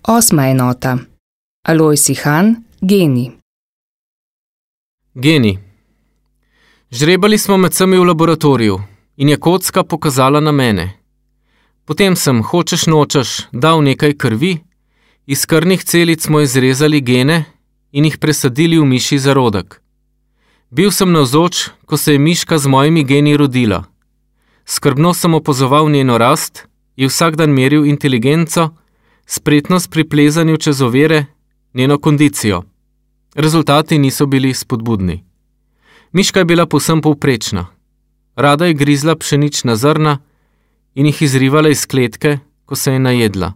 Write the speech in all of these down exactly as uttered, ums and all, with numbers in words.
Osma enota. Alojz Ihan, geni. Geni. Žrebali smo med vsemi v laboratoriju in je kocka pokazala na mene. Potem sem, hočeš nočeš, dal nekaj krvi, iz krvnih celic smo izrezali gene in jih presadili v mišji zarodek. Bil sem navzoč, ko se je miška z mojimi geni rodila. Skrbno sem opazoval njeno rast, ji vsak dan meril inteligenco, spretnost pri plezanju čez ovire, njeno kondicijo. Rezultati niso bili spodbudni. Miška je bila povsem povprečna. Rada je grizla pšenična zrna in jih izrivala iz kletke, ko se je najedla.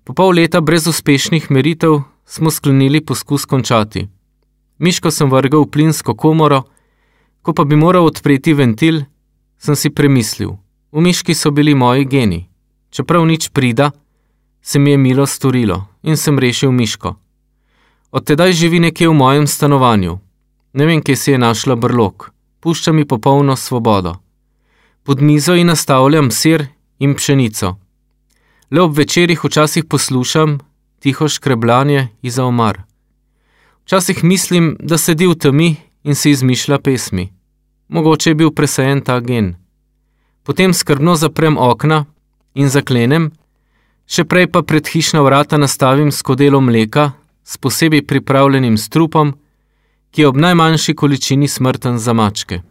Po pol leta brez uspešnih meritev smo sklenili poskus končati. Miško sem vrgel v plinsko komoro, ko pa bi moral odpreti ventil, sem si premislil. V miški so bili moji geni. Čeprav nič prida, se mi je milo storilo in sem rešil miško. Od tedaj živi nekje v mojem stanovanju. Ne vem, kje si je našla brlog. Pušča mi popolno svobodo. Pod mizo ji nastavljam sir in pšenico. Le ob večerih včasih poslušam tiho škrebljanje iza omar. Včasih mislim, da sedi v temi in si izmišlja pesmi. Mogoče je bil presajen ta gen. Potem skrbno zaprem okna in zaklenem, še prej pa pred hišna vrata nastavim skodelo mleka s posebej pripravljenim strupom, ki je ob najmanjši količini smrten za mačke.